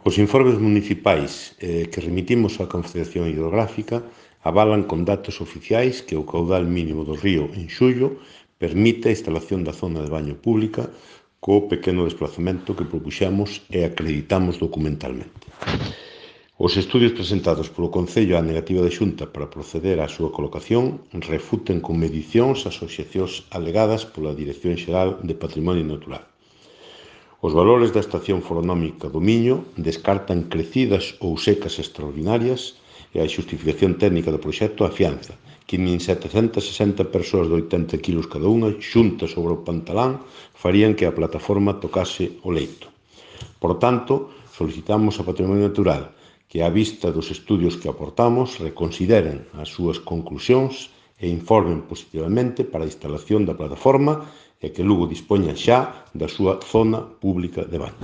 Os informes municipais que remitimos á Confederación Hidrográfica avalan con datos oficiais que o caudal mínimo do río en xullo permite a instalación da zona de baño pública co pequeno desplazamento que propuxemos e acreditamos documentalmente. Os estudios presentados polo Concello á negativa da Xunta para proceder á súa colocación refuten con medicións as obxeccións alegadas pola Dirección Xeral de Patrimonio Natural. Os valores da estación foronómica do Miño descartan crecidas ou secas extraordinarias e a xustificación técnica do proxecto afianza que nin 760 persoas de 80 kilos cada unha xuntas sobre o pantalán farían que a plataforma tocase o leito. Por tanto, solicitamos a Patrimonio Natural que, á vista dos estudios que aportamos, reconsideren as súas conclusións e informen positivamente para a instalación da plataforma e que Lugo dispoña xa da súa zona pública de baño.